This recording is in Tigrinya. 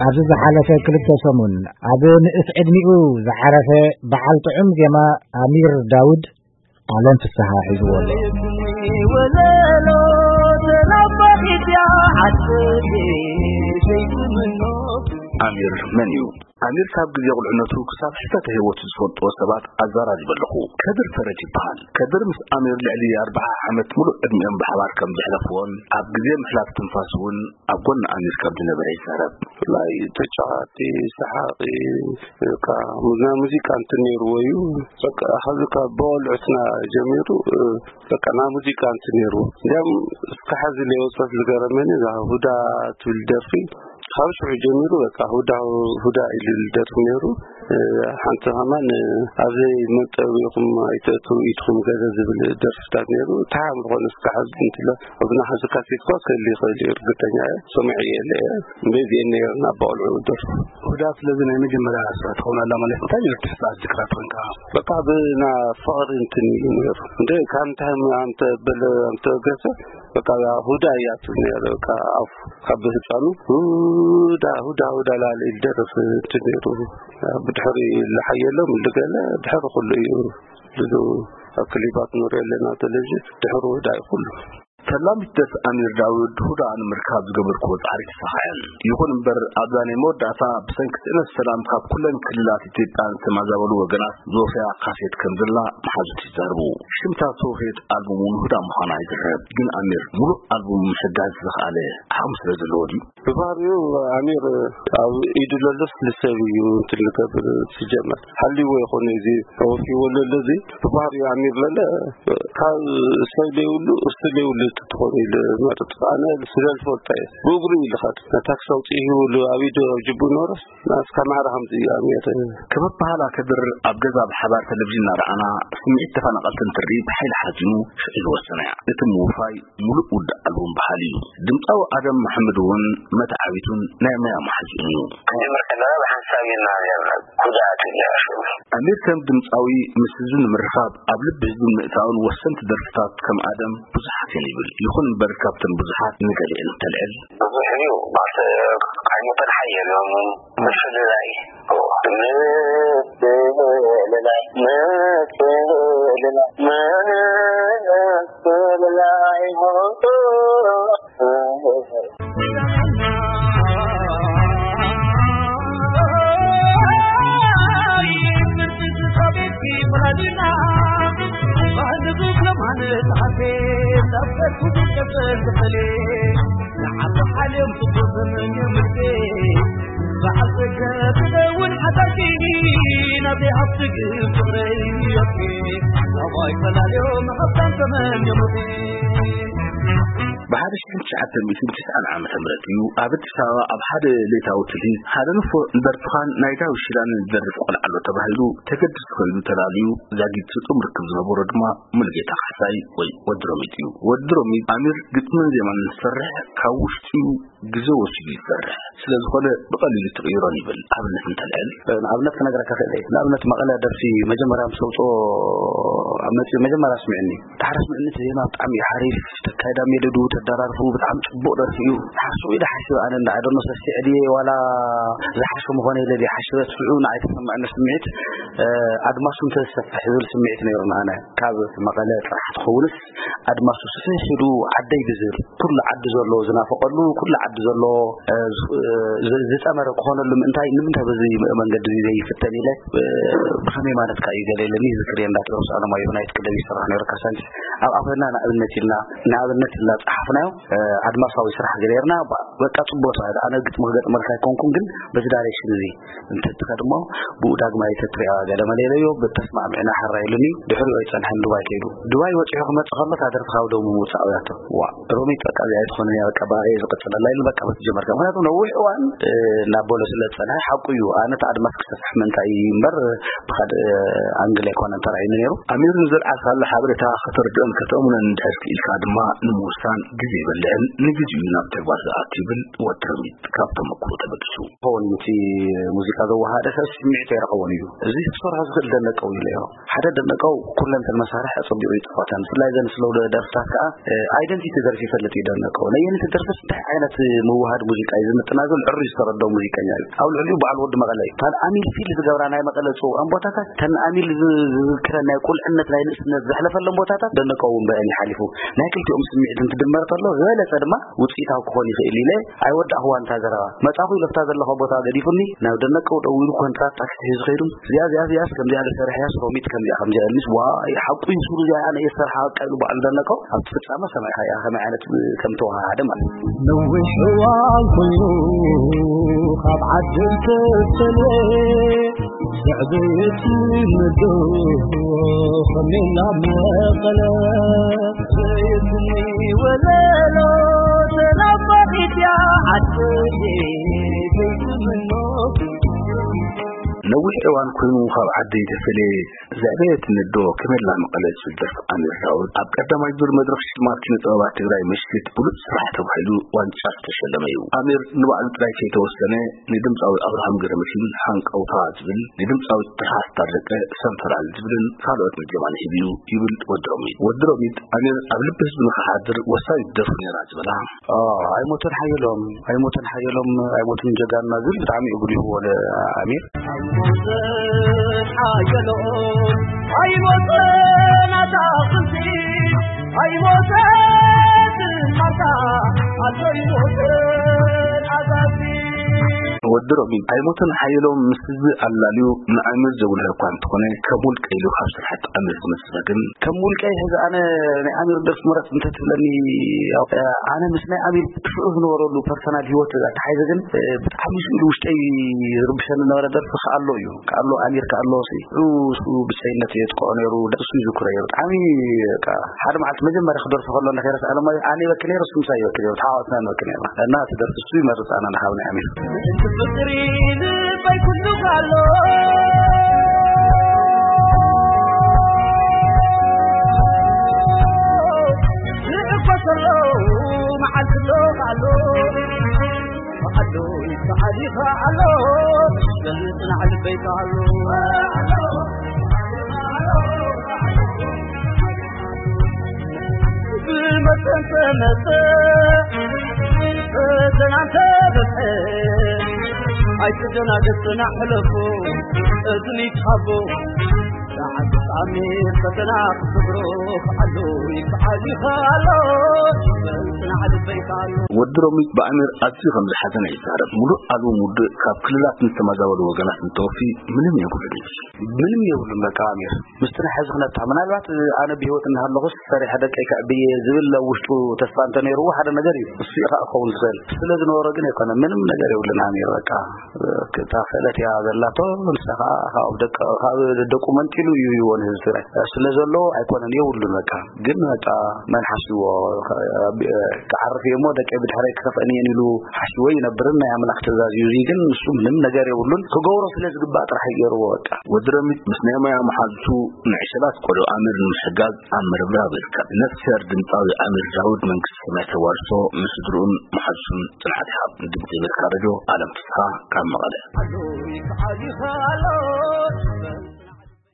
ኣብዚ ዝሓለፈ ክልተ ሰሙን ኣብ ንእስ ዕድሚኡ ዝዓረፈ በዓል ጥዑም ዜማ ኣሚር ዳውድ ኣለም ፍስሃ ሒዝዎ ኣሎ። ኣሚር መን እዩ? ኣሚር ካብ ግዜ ቁልዕነቱ ክሳብ ሕልፈተ ህይወቱ ዝፈልጥዎ ሰባት ኣዘራሪበ ኣለኹ። ከድር ፈረጅ ይበሃል። ከድር ምስ ኣሚር ልዕሊ ኣርብዓ ዓመት ሙሉእ ዕድሚኦም ብሓባር ከም ዘሕለፍዎን ኣብ ግዜ ምሕላፍ ትንፋስ እውን ኣብ ጎኒ ኣሚር ከም ዝነበረ ይዛረብ። ብፍላይ ተጫዋቲ፣ ሰሓቂ፣ በቃ ናይ ሙዚቃ እንትን ነይርዎ እዩ። በቃ ካብዚ ካብ ብቆልዕትና ጀሚሩ በቃ ናይ ሙዚቃ እንትን ነይርዎ። እንዲያም እስከ ሐዚ ለይወፀት ዝገረመኒ እዛ ሁዳ ትብል ደርፊ ካብ ሽዑ ጀሚሩ በቃ ሁዳ ሁዳ ኢሉ ደርፊ ነይሩ። ሓንቲ ከማን ኣብዘይ መንጠቢኹም ኣይተእትው ኢድኩም ገለ ዝብል ደርፍታት ነይሩ። ተሓም ዝኾነ እስከ ሐዚ እንትለ እብና ሐዚ ካሴት እኳ ክህሉ ይኽእል እዩ፣ እርግጠኛ እየ። ሰሚዐ እየ፣ እለ እየ። እንደዚአን ነይረን ኣብ ቆልዑ ደርፉ። ሁዳ ስለዚ ናይ መጀመርያ ስራሕ ትኸውን ኣላ ማለት እንታይ ነይሩ? ትሕሳስ ዝክራት ኮንካ? በቃ ብና ፍቕሪ እንትን ኢሉ ነይሩ። እንደ ካብ እንታይ ኣምተ በለ ኣምተ ገሰ በቃ ያ ሁዳ እያ ትብል ነይሩ። በቃ ኣፉ ካብ ህፃኑ ሁዳ፣ ሁዳ፣ ሁዳ ላለ ኢል ደርፍ እንትን ነይሩ። ብድሕሪ ልሓየሎም ልገለ ድሕሪ ኩሉ እዩ። ብዙ ኣብ ክሊባት ንሪኦ ኣለና ቴሌቪዥን ድሕሪ ሁዳ እዩ ኩሉ። ፈላሚት ደርፊ ኣሚር ዳውድ ሁዳ ንምርካብ ዝገበርክዎ ጻዕሪ ተሳኺዐን። ይኹን እምበር ኣብዛ ናይ መወዳእታ ብሰንኪ ስእነት ሰላም ካብ ኩለን ክልላት ኢትዮጵያ ዝተማዛበሉ ወገናት ዞፍያ ካሴት ከም ዘላ መሓዙት ይዛረቡ። ሽምታ ተውህየት ኣልቡም እውን ሁዳ ምዃና ይዝረብ። ግን ኣሚር ሙሉእ ኣልቡም ምሕጋዝ ዝኸኣለ ዓቕሚ ስለ ዘለዎ ድዩ? ብባህሪኡ ኣሚር ኣብ ኢዱ ለሎስ ልሰብ እዩ እንትን ልገብር። ሲጀመር ሓልይዎ ይኾነ እዚ ተወፊዎ ለሎ እዚ ብባህሪኡ ኣሚር ለለ ካብ ሰብ ለይብሉ እሱ ለይብሉ ትኾን ኢሉ መርጥ። ኣነ ስለ ዝፈልጦ እየ። ብእግሩ እዩ ልኸድ። ነታ ክሰውጥ ይብሉ ኣብ ኢዱ ኣብ ጅቡ ኖረስ ናስካ ማዕረ ከምዚ እዩ ኣሚር። ከም ኣበሃህላ ከድር ኣብ ገዛ ብሓባር ቴሌቪዥን እናረኣና ስምዒት ተፈናቐልቲ እንትርኢ ብሓይሊ ሓዚኑ ሽዑ ዝወሰነ እያ። እቲ ምውፋይ ሙሉእ ውድእ ኣልቡም በሃሊ እዩ። ድምፃዊ ኣደም መሓመድ እውን መተዓቢቱን ናይ ሞያ መሓዝኡን እዩ። ክንጅምር ከለና ብሓንሳብ እዩ እናሃገርና ጉዳት እዩ። ኣሚር ከም ድምፃዊ ምስ ህዝቢ ንምርኻብ ኣብ ልቢ ህዝቢ ንምእታውን ወሰንቲ ደርፍታት ከም ኣደም ብዙሓት እየን ይብል። ይኹን እምበር ካብተን ብዙሓት ንገሊአን እንተልዕል። ብዙሕ እዩ ማለት ዓይነተን ሓየሎም ምፍልላይ ምፍልላይ ምፍልላይ ምፍልላይ ብሓደ ሽሕን ትሽዓተ ሚእትን ትስዓን ዓመተ ምህረት እዩ ኣብ ኣዲስ ኣበባ ኣብ ሓደ ሌታዊ ትልሂት ሓደ ንፎ ንደርፍኻን ናይ ዳዊት ሽላን ዝደርፍ ቆልዓ ኣሎ ተባሂሉ ተገድስ ኮይኑ ተላልዩ። ዛጊት ስጡም ርክብ ዝነበሮ ድማ ሙሉጌታ ካሕሳይ ወይ ወዲ ሮሚጥ እዩ። ወዲ ሮሚጥ ኣሚር ግጥምን ዜማን ዝሰርሕ ካብ ውሽጡ ግዜ ወሲዱ ይሰርሕ ስለ ዝኾነ ብቐሊሉ ትቕይሮን ይብል። ኣብነት እንተልዕል። ንኣብነት ክነግረካ ክእል እየ። ንኣብነት መቐለ ደርፊ መጀመርያ ምስ ኣውፅኦ ኣብ መፂኡ መጀመርያ ስሚዕኒ። ዳሕራ ስምዕኒ እቲ ዜማ ብጣዕሚ እዩ ሓሪፍ። ተካይዳ ሜሎዱ ተደራርፉ ብጣዕሚ ፅቡቕ ደርፊ እዩ። ሓሱ ኢለ ሓሲበ ኣነ እንዳ ኣደኖ ሰሲዐ ድየ ዋላ ዝሓሸ ምኾነ ኢለ ድየ ሓሲበ ስዑ ንዓይ ተሰማዕኒ ስምዒት ኣድማሱ እንተዝሰፍሕ ዝብል ስምዒት ነይሩን ኣነ ካብ መቐለ ጥራሕ ትኸውንስ ኣድማሱ ስፍሕ ኢሉ ዓደይ ብዝብል ኩሉ ዓዲ ዘሎ ዝናፈቀሉ ኩሉ ዓዲ ዘሎ ዝፀመረ ክኾነሉ ምእንታይ ንምንታይ በዚ መንገዲ እዚ ዘይፍተን ኢለ ብኸመይ ማለትካ እዩ ገለ ኢለኒ ዝክር እየ እንዳተረብሱ ኣለማዮ ናይት ክለብ ይሰርሕ ነይሩ ካሳንቺስ ኣብኣ ኮይና ንኣብነት ኢልና ንኣብነት ኢልና ፀሓፍናዮ ኣድማሳዊ ስራሕ ገይርና በቃ ፅቡቅ ስራሕ ኣነ ግጥሚ ክገጥመልካ ኣይኮንኩን ግን በዚ ዳይሬክሽን እዚ እንትትኸድ እሞ ብኡ ዳግማይ ተትሪኣ ገለ መለ ኢለዮ ብተስማዕሚዕና ሕራይ ኢሉኒ ድሕሪኡ ኣይፀንሐን ዱባይ ከይዱ ዱባይ ወፂሑ ክመፅእ ከሎ እታ ደርፊ ካብ ደሙ ምውፃእ እያቶ ዋ ሮሚጥ በቃ እዚኣ ኣይትኾንን እያ በቃ ብኣ እየ ዝቕፅለላ ኢሉ በቃ በቲ ጀመርካ ምክንያቱ ነዊሕ እዋን እናበሎ ስለ ዝፀንሐ ሓቁ እዩ ኣነ እቲ ኣድማስ ክሰፍሕ ምእንታይ እዩ እምበር ብካልእ ኣንግል ኣይኮነን ተራእዩኒ ነይሩ ኣሚር ንዘልዓልካሉ ሓበሬታ ከተርድኦን ከተእምኖን እንድሕር ክኢልካ ድማ ንምውሳን ግዜ ይበልዕን ንግዜኡ ናብ ተግባር ዝኣቱ ይብል ወዲ ሮሚጥ ካብ ተመክሮ ተበጊሱ። ክኸውን እዩ፣ እቲ ሙዚቃ ዘወሃደ ሰብ ስምዒት ኣይረኸቦን እዩ። እዚ ክሰርሖ ዝኽእል ደነቀው ኢለ እዮ። ሓደ ደነቀው ኩለን እተን መሳርሒ ኣጸቢቑ ይጻወተን። ብፍላይ ዘን ስሎው ደርፍታት ከኣ፣ እ፣ ኣይደንቲቲ ደርፊ ይፈልጥ እዩ ደነቀው። ነየኒት ደርፍስ እንታይ ዓይነት ምውሃድ ሙዚቃ እዩ ዝምጥና ዝብል ዕሩይ ዝተረድኦ ሙዚቀኛ እዩ። ኣብ ልዕሊኡ በዓል ወዲ መቐለ እዩ። እተን ኣሚል ፊል ዝገብራ ናይ መቐለ ጽውዓን ቦታታት፣ እተን ኣሚል ዝ-፣ ዝዝክረን ናይ ቁልዕነት ናይ ንእስነት ዘሕለፈለን ቦታታት ደነቀው እውን ብአን ይሓሊፉ። ናይ ክልቲኦም ስምዒት እንትድመር ተሎ ዝበለጸ ድማ ውጽኢታዊ ክኾን ይኽእል ኢለ ኣይወዳእኽዋን እታ ዘረባ። መጻኹ ኢለ ኣብታ ዘለኹ ቦታ ገዲፉኒ ናብ ደነቀው ደዊሉ ኮንትራት ታክሲ ሒዙ ኸይዱ። እዚኣ፣ እዚኣ፣ እዚኣስ ከምዚኣ ዶ ሰሪሐያስ ሮሚጥ ከምዚኣ ከምዚኣ ኢሉኒስ፣ ዋይ ሓቁ እዩ ሱሩ እዚኣ ኣነ እየ ዝሰርሓ በቃ ኢሉ ባዕሉ ደነቀው ኣብቲ ፍጻመ ሰማዕኻ እያ ከመይ ዓይነት ከም ተወሃሃደ ማለት እዩ። ነዊሕ እዋን ኮይኑ ካብ ዓዲ ዝተፈልየ ስዕብት ምድሩ ከሜላ መቐለ ዘይትኒ ወለሎ ተናፋቂት እያ ዓደይ ዘይትምኖ። ነዊሕ እዋን ኮይኑ ካብ ዓደይ ተፈልየ ዘዕበየትኒ ኣዶ ከሜላ መቐለ ዝብል ደርፊ ኣሚር ዳውድ ኣብ ቀዳማይ ዙር መድረኽ ሽልማት ኪነ ጥበባት ትግራይ ምሽት ብሉጽ ስራሕ ተባሂሉ ዋንጫ ዝተሸለመ እዩ። ኣሚር ንባዕሉ ጥራይ ከይተወሰነ ንድምፃዊ ኣብርሃም ገረመድህን ሃንቀውታ ዝብል፣ ንድምፃዊት ትርሃስ ታረቀ ሰንፈላል ዝብልን ካልኦት ዜማን ሂቡ እዩ ይብል ወዲ ሮሚጥ። ወዲ ሮሚጥ ኣሚር ኣብ ልቢ ህዝቢ ንኽሓድር ወሳኒት ደርፉ ነይራ ዝበላ። ኦ፣ ኣይሞተን ሓየሎም፣ ኣይሞተን ሓየሎም፣ ኣይሞተን ጀጋንና ዝብል ብጣዕሚ እዩ ጉሊህዎ ለኣሚር። ኣይሞተን ሓየሎም፣ ኣይሞተን ኣታኽልቲ፣ ኣይሞተን ማልታ፣ ኣቶ ኣይሞተን ኣዛዚ። ወዲ ሮሚጥ ኣይሞተን ሓየሎም ምስ ህዝቢ ኣላልዩ ንኣሚር ዘጉልሀ እኳ እንተኾነ፣ ከም ውልቀ ኢሉ ካብ ስራሕቲ ኣሚር ዝመዝኖ ግን ከም ውልቀይ ሕዚ ኣነ ናይ ኣሚር ደርፊ ምረጽ እንተትብለኒ፣ ያው፣ ኣነ ምስ ናይ ኣሚር ስዑ ዝነበረሉ ፐርሰናል ህይወት ኣተሓሒዘ ግን፣ ብጣዕሚ ስኡ ውሽጠይ ዝርብሸኒ ዝነበረ ደርፊ ከኣሎ እዩ። ከኣሎ ኣሚር ከኣሎ ሲ፣ እሱ ብጸይነት እየ ዝጥቆ ነይሩ፣ እሱ ይዝክሮ እዩ። ብጣዕሚ በቃ ሓደ መዓልቲ መጀመርያ ክደርፎ ከሎ እንዳ ከይረስኣ ለማ ኣነ ይበኪ ነይሩ፣ እሱ ምሳይ ይበኪ ነይሩ፣ ተሓዋትና ንበኪ ነይርና። እና እቲ ደርፊ እሱ ይመርጽ ኣነ ንሃብ ናይ ኣሚር። እቲ ፍቅሪ ልበይ ኩሉ ካሎ፣ ዝዕኮሰሎ መዓልቲ ኣሎ ካሎ፣ ካሎ ይከዓል ይኸዓሎ፣ ዘንጽናዕ ልበይ ካሎ። ብመጠን ተመጠ፣ ፈተና እንተበዝሐ፣ ኣይትደናገጽ ጽናዕ ሕለፎ፣ እዝኒ ይትሃቦ። ሰዓት ፍጻሜ ፈተና ክትሰግሮ፣ ክዓሎ ይከዓል ይኸዓሎ፣ ጽናዕ ልበይ ካሎ። ወዲ ሮሚጥ ብኣሚር ኣዝዩ ከም ዝሓዘነ ይዛረብ። ሙሉእ ኣልቡም ውድእ ካብ ክልላት ንተመዛበሉ ወገናት እንተወፊ ምንም የብሉን እዩ። ምንም የብሉን በቃ ኣሚር። ምስቲ ናይ ሕዚ ኩነታ፣ ምናልባት ኣነ ብህይወት እናሃለኹስ ሰሪሐ ደቀይ ከዕብየ ዝብል ኣብ ውሽጡ ተስፋ እንተነይርዎ ሓደ ነገር እዩ። እሱ እዩ ከዓ ክኸውን ዝኽእል። ስለ ዝነበሮ ግን ኣይኮነ፣ ምንም ነገር የብሉን ኣሚር። በቃ እታ ክእለት እያ ዘላቶ፣ ንሳ ከዓ ካብ ደቀ-፣ ካብ ደቁ መንጢሉ እዩ ይዎ ንህዝቢ ትግራይ። ስለ ዘሎ ኣይኮነን፣ የብሉን በቃ። ግን በቃ መን ሓሲዎ፣ ክዓርፍ እየ እሞ ደቀይ ብድሕረይ ክኸፍአን እየን ኢሉ ሓሲዎ ይነብርን ናይ ኣምላኽ ትእዛዝ እዩ። እዚ ግን ንሱ ምንም ነገር የብሉን፣ ክገብሮ ስለ ዝግባእ ጥራሕ እዩ ገይርዎ በቃ። ወዲ ረሚጥ ምስ ናይ ሞያ መሓዙቱ ንዕሸላት ቆልዑ ኣሚር ንምሕጋዝ ኣብ ምርብራብ ይርከብ። ነፍስሄር ድምፃዊ ኣሚር ዳውድ መንግስቲ ሰማይ ተዋርሶ ንስድርኡን መሓዙቱን ጽንዓት ይሃብ። ንድምፂ ኣሜሪካ ሬድዮ ኣለም ፍስሓ ካብ መቐለ።